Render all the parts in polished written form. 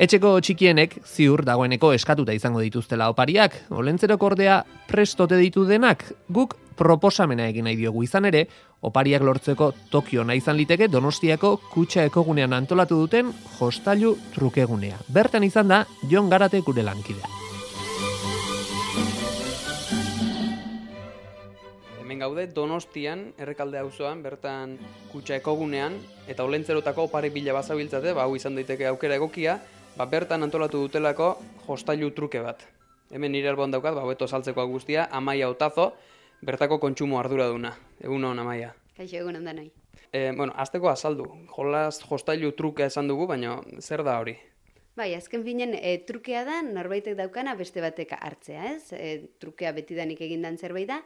Etxeko txikienek ziur dagoeneko eskatuta izango dituztela opariak, Olentzerok ordea prestote ditu denak, guk proposamena egin nahi diogu izan ere, opariak lortzeko Tokio nahi izan liteke Donostiako Kutxa Ekogunean antolatu duten jostailu trukegunea. Bertan izan da Jon Garate gure lankidea. Hemen gaude Donostian, Errekalde auzoan, bertan Kutxa Ekogunean, eta Olentzerotako opari bila bazabiltzate, hau izan daiteke aukera egokia, bertan antolatu dutelako jostailu truke bat. Hemen nire alboan daukat, hobeto saltzeko guztia, Amaia Otazo, bertako kontsumo arduraduna. Egun hon, Amaia. Kaixo, egun hon danoi. Azteko azaldu, jostailu trukea esan dugu, baina zer da hori? Bai, azken finen, trukea da norbaitek daukana beste batek hartzea, ez? Trukea betidanik egindan zerbait da,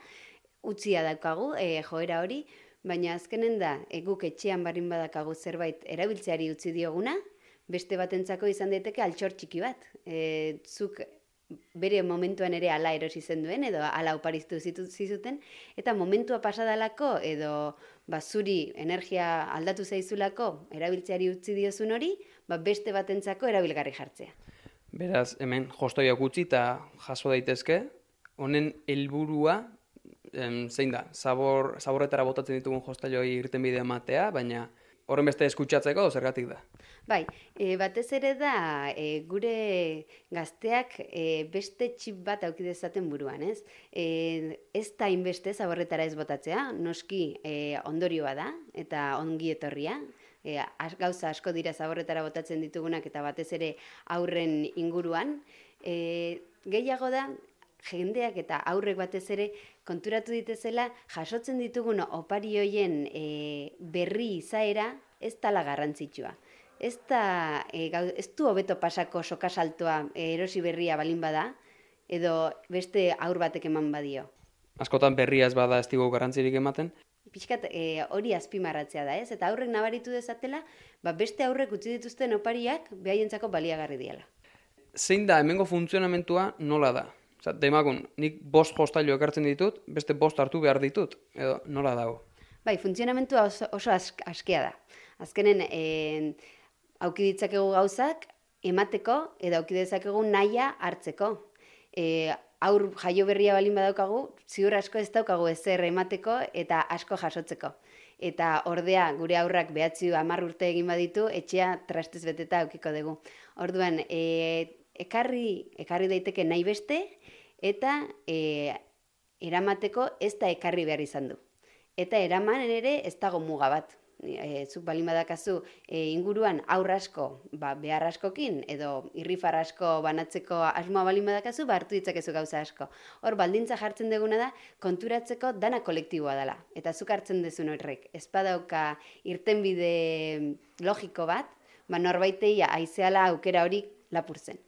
utzia daukagu, joera hori, baina azkenen da, guk etxean barin badakagu zerbait erabiltzeari utzi dioguna, beste batentzako izan daiteke altxor txiki bat. Zuk bere momentuan ere ala erosi zenduen edo ala oparistu zizuten, eta momentua pasadalako edo zuri energia aldatu zaizulako erabiltzeari utzi diozun hori, beste batentzako erabilgarri jartzea. Beraz, hemen jostailuak utzi eta jaso daitezke, honen helburua zein da? Zaborretara botatzen ditugun jostailuei irtenbidea ematea, baina horren beste eskutsatzeko zergatik da? Bai, batez ere da gure gazteak beste txip bat auki dezaten buruan, ez? Ez da inbeste zaborretara ez botatzea, noski ondorioa da eta ongi etorria. Gauza asko dira zaborretara botatzen ditugunak eta batez ere aurren inguruan. Gehiago da, jendeak eta aurrek batez ere konturatu ditezela jasotzen ditugun opari hoien berri izaera ez dela garrantzitsua. Ez du hobeto pasako sokasaltoa erosi berria balin bada, edo beste aur batek eman badio. Askotan berria ez bada ez digu garrantzirik ematen? Pixkat hori azpimarratzea da, ez? Eta aurrek nabaritu dezatela, beste aurrek utzi dituzten opariak behaientzako baliagarri diala. Zein da hemengo funtzionamentua nola da? Demagun, nik 5 jostailu ekartzen ditut, beste 5 hartu behar ditut, edo nola dago? Bai, funtzionamentua oso askea da. Azkenen, auki ditzakegu gauzak emateko edo auki ditzakegu nahia hartzeko. Aur jaio berria balin badaukagu, ziur asko ez daukagu ezer emateko eta asko jasotzeko. Eta ordea gure aurrak 9-10 urte egin baditu, etxea trastez beteta aukiko dugu. Orduan, ekarri daiteke nahi beste eta eramateko ez da ekarri behar izan du. Eta eraman ere ez dago muga bat. Zuk balin badakazu inguruan aur asko behar askokin edo irrifar asko banatzeko asmoa balin badakazu, hartu ditzakezu gauza asko. Hor baldintza jartzen duguna da konturatzeko dana kolektiboa dela. Eta zuk hartzen duzun horrek. Ez badauka irtenbide logiko bat, norbaitei aizeala aukera hori lapurtzen.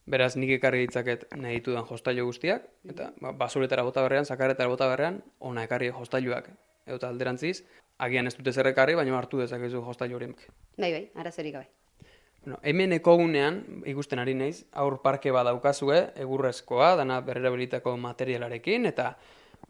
Beraz, nik ekarri ditzaket nahi ditudan jostailu guztiak, eta basuretara bota berrean, sakarretara bota berrean, ona ekarri jostailuak. Eta alderantziz, agian ez dute zer ekarri, baina hartu dezakezu jostailu horiek. Bai, arazorik gabe. Hemen ekogunean, ikusten ari naiz, aur parke bat daukazue, egurrezkoa, dana berrerabilitako materialarekin, eta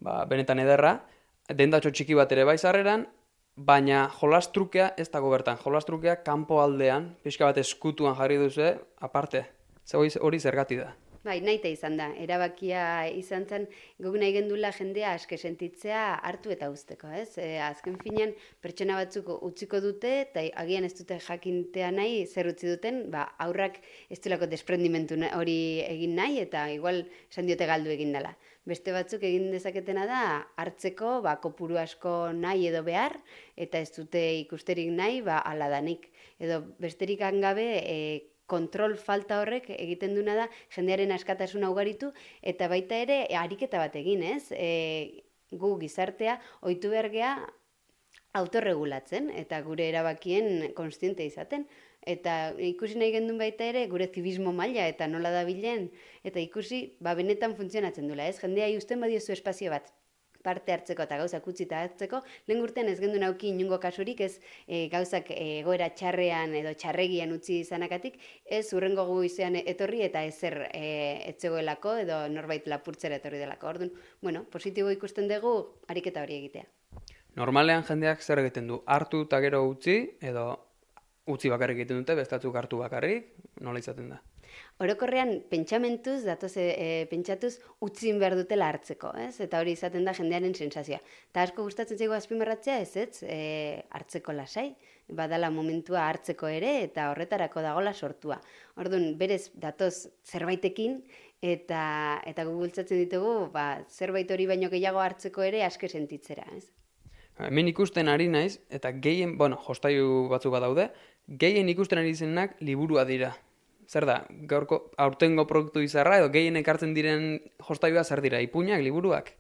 benetan ederra, dendatxo txiki bat ere bai sarreran, baina jolas trukea ez dago bertan. Jolas trukea kanpo aldean, pixka bat eskutuan jarri duzu, aparte. Hori zergatik da. Bai, nahita izan da. Erabakia izan zen, guk nahi gendula jendea aske sentitzea hartu eta uzteko, ez? Azken finean, pertsona batzuk utziko dute, eta agian ez dute jakintea nahi, zer utzi duten, aurrak ez duelako desprendimentu hori egin nahi, eta igual esan diote galdu egin dela. Beste batzuk egin dezaketena da, hartzeko, kopuru asko nahi edo behar, eta ez dute ikusterik nahi, ala danik. Edo besterik gabe, kontrol falta horrek egiten duna da jendearen askatasuna ugaritu eta baita ere ariketa bat egin, ez? Gu gizartea ohitu behar gea autorregulatzen eta gure erabakien kontziente izaten. Eta ikusi nahi gendun baita ere gure zibismo maila eta nola dabilen eta ikusi benetan funtzionatzen dula, ez? Jendea uzten badiozu espazio bat parte hartzeko eta gauzak utzita hartzeko, lehen urtean ez gendu nauki inungo kasurik, ez gauzak egoera txarrean edo txarregian utzi izanakatik, ez urrengo goizean etorri eta ezer etzegoelako edo norbait lapurtzera etorri delako. Orduan, positibo ikusten dugu ariketa hori egitea. Normalean jendeak zer egiten du? Hartu eta gero utzi edo utzi bakarrik egiten dute, bestatzuk hartu bakarrik, nola izaten da? Orokorrean pentsamentuz, pentsatuz utzin behar dutela hartzeko, ez? Eta hori izaten da jendearen sensazioa. Eta asko gustatzen zaigu azpimarratzea, hartzeko lasai, badala momentua hartzeko ere, eta horretarako dagola sortua. Orduan, berez datoz zerbaitekin, eta gu bultzatzen ditugu, zerbait hori baino gehiago hartzeko ere aske sentitzera, ez? Hemen ikusten ari naiz, eta gehien, jostailu batzuk badaude, gehien ikusten ari zenak liburua dira. Zer da, gaurko aurtengo produktu izarra, edo gehien ekartzen diren jostailua zer dira, ipuinak, liburuak?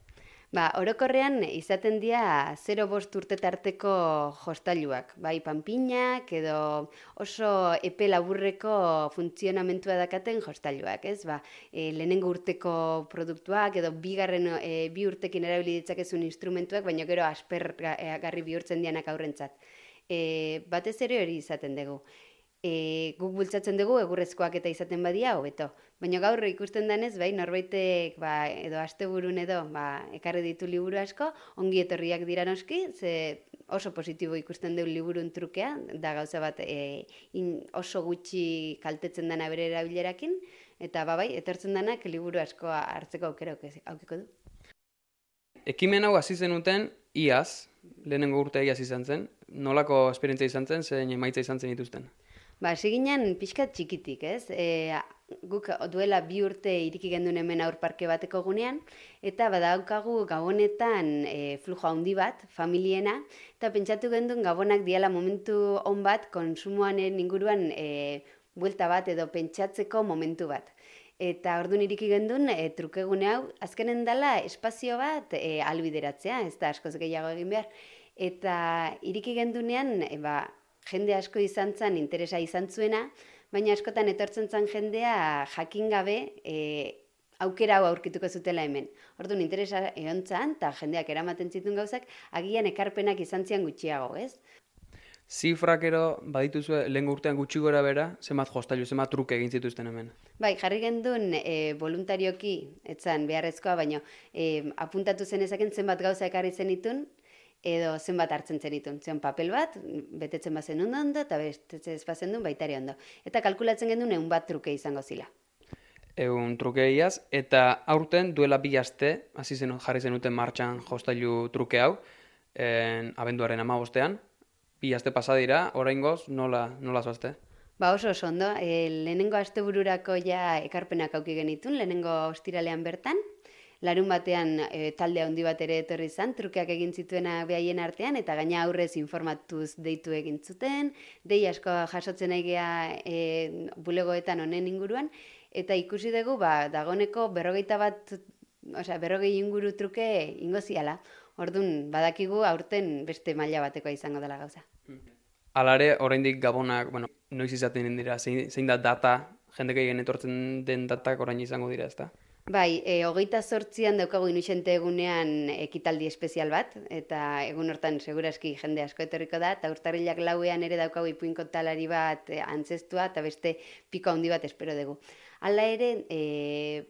Orokorrean izaten dira 0-5 urte tarteko jostailuak, bai panpinak edo oso epe laburreko funtzionamentua dakaten jostailuak, ez? Lehenengo urteko produktuak edo bi urtekin erabili ditzakezun instrumentuak, baina gero aspergarri bihurtzen dianak aurrentzat. Batez ere hori izaten dugu. Guk bultzatzen dugu egurrezkoak eta izaten badia hobeto. Baina gaur ikusten denez, norbaitek edo asteburun edo ekarri ditu liburu asko, ongi etorriak dira noski, ze oso positibo ikusten dugu liburun trukea, da gauza bat oso gutxi kaltetzen dana bere erabilerakin, eta etortzen denak liburu asko hartzeko aukera aukiko du. Ekimen hau hasi zenuten iaz, lehenengo urtea iaz izan zen, nolako esperientzia izan zen, zein emaitza izan zen dituzten? Hasi ginen pixkat txikitik, ez? Guk duela 2 urte iriki genduen hemen aurparke bateko gunean, eta badaukagu gabonetan flujo handi bat, familiena, eta pentsatu genduen gabonak diala momentu on bat, konsumoanen inguruan buelta bat edo pentsatzeko momentu bat. Eta orduan iriki genduen trukegune hau, azkenen dela espazio bat albideratzea, ez da askoz gehiago egin behar. Eta iriki gendunean, jende asko izan zen, interesa izan zuena, baina askotan etortzen zen jendea jakin gabe aukera hau aurkituko zutela hemen. Orduan interesa egon zen, eta jendeak eramaten zituen gauzak, agian ekarpenak izan zian gutxiago, ez? Zifrak ero badituzue lehengo urtean gutxi gora bera, zenbat jostailu, zenbat truke egin zituzten hemen? Jarri genduen voluntarioki, etzan beharrezkoa, baina apuntatu zenezaken zenbat gauza ekarri zenitun, edo zenbat hartzen zenitun. Zion papel bat, betetzen bazen ondo, eta betetzen ez bazen duen baitari ondo. Eta kalkulatzen genduen 100 bat truke izango zila. 100 truke iaz, eta aurten duela 2 aste, jarri zenuten martxan jostailu truke hau, abenduaren 15ean, 2 aste pasa dira, oraingoz nola zoazte? Oso ondo, lehenengo astebururako ja ekarpenak auki genitun, lehenengo ostiralean bertan, larun batean talde handi bat ere etorri izan, trukeak egin zituena behaien artean, eta gaina aurrez informatuz deitu egin zuten, dei asko jasotzen aigea bulegoetan honen inguruan, eta ikusi dugu, dagoneko 40 inguru truke ingo ziala. Orduan, badakigu aurten beste maila batekoa izango dela gauza. Alare, oraindik gabonak, noiz izaten dira, zein da data, jendek egin etortzen den datak orain izango dira, ezta? 28an daukagu Inuxente egunean ekitaldi espezial bat, eta egun hortan seguraski jende asko etorriko da, eta urtarrilak 4ean ere daukagu ipuinko talari bat antzestua, eta beste piko handi bat espero dugu. Hala ere,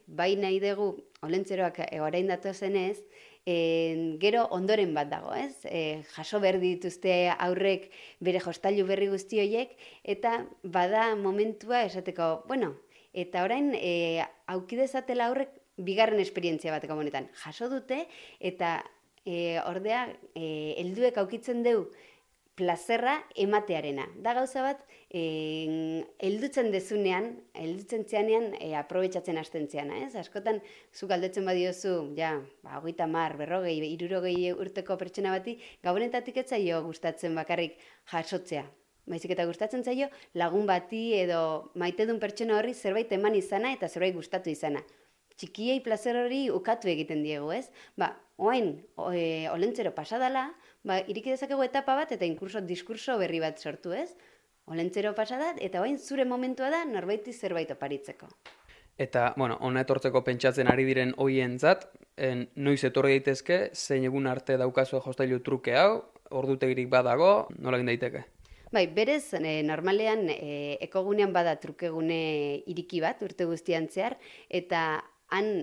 bai nahi dugu, olentzeroak orain datu zenez, gero ondoren bat dago, ez? Jaso behar dituzte aurrek bere jostailu berri guzti horiek, eta bada momentua esateko, eta orain aukidezatela aurrek bigarren esperientzia bat gabonetan. Jaso dute, eta ordea, helduek aukitzen deu plazerra ematearena. Da gauza bat, heldutzen dezunean, heldutzen zeanean, aprobetxatzen hasten zeana, ez? Askotan, zu galdetzen badiozu, 30, 40, 60 urteko pertsona bati, gabonetatik ez zaio gustatzen bakarrik jasotzea. Baizik eta gustatzen zaio lagun bati edo maitedun pertsona horri zerbait eman izana eta zerbait gustatu izana. Txikiei plazer hori ukatu egiten diegu, ez? Oain, olentzero pasadala, iriki dezakegu etapa bat eta diskurso berri bat sortu, ez? Olentzero pasadat eta oain zure momentua da norbaiti zerbait oparitzeko. Eta, ona etortzeko pentsatzen ari diren hoientzat, noiz etorri daitezke, zein egun arte daukazue jostailu truke hau, ordutegirik badago, nola egin daiteke? Berez, normalean, ekogunean bada trukegune iriki bat, urte guztian zehar, eta han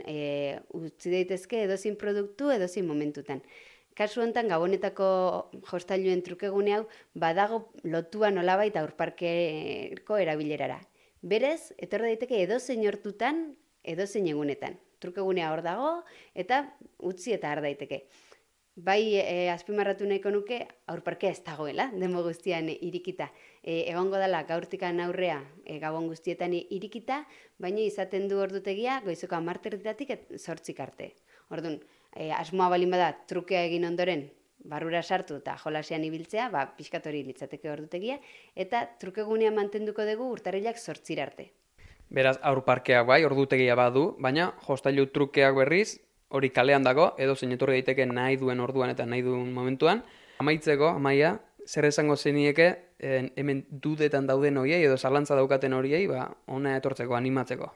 utzi daitezke edozin produktu, edozin momentutan. kasu honetan Gabonetako jostailuen trukegune hau badago lotua nolabait aurparkeko erabilerara. Berez, etor daiteke edozein hortutan, edozein egunetan. Trukegunea hor dago eta utzi eta har daiteke. Bai, azpimarratu nahiko nuke aurparkea ez dagoela, demo guztian irikita. Egongo dela gaurtikan aurrea gabon guztietan irikita, baina izaten du ordutegia goizeko 10:00 zortzik arte. Orduan, asmoa balin bada trukea egin ondoren, barrura sartu eta jolasean ibiltzea, pixkat hori litzateke ordutegia, eta trukegunea mantenduko dugu urtarrilak 8 arte. Beraz, aurparkeak bai, ordutegia badu, baina jostailu trukeak berriz, hori kalean dago, edo zein etorri daiteke nahi duen orduan eta nahi duen momentuan. Amaitzeko, Amaia, zer esango zenieke hemen dudetan dauden horiei edo zalantza daukaten horiei, hona etortzeko, animatzeko?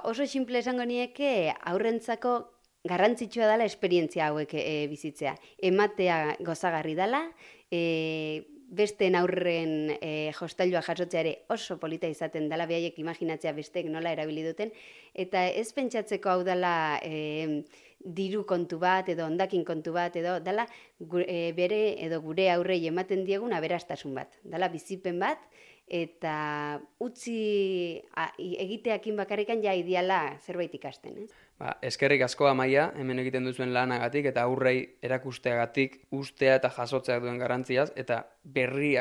Oso simple esango nieke aurrentzako garrantzitsua dela esperientzia hauek bizitzea. Ematea gozagarri dela, besteen aurren jostailua jasotzea ere oso polita izaten dela, behaiek imaginatzea besteek nola erabili duten, eta ez pentsatzeko hau dela diru kontu bat edo hondakin kontu bat edo dela bere edo gure aurrei ematen diegun aberastasun bat. Dela bizipen bat eta utzi egiteakin bakarrikan ja ideala zerbait ikasten. Eskerrik asko Amaia, hemen egiten duzuen lanagatik eta aurrei erakusteagatik ustea eta jasotzeak duen garrantziaz eta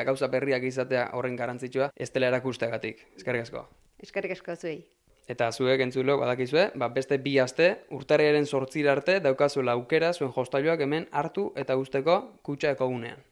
gauza berriak izatea horren garrantzitsua ez dela erakusteagatik. Eskerrik asko. Eskerrik asko zuei. Eta zuek entzulok badakizue, beste 2 aste, urtarrilaren 8 arte daukazuela aukera zuen jostailuak hemen hartu eta usteko Kutxa Ekogunean.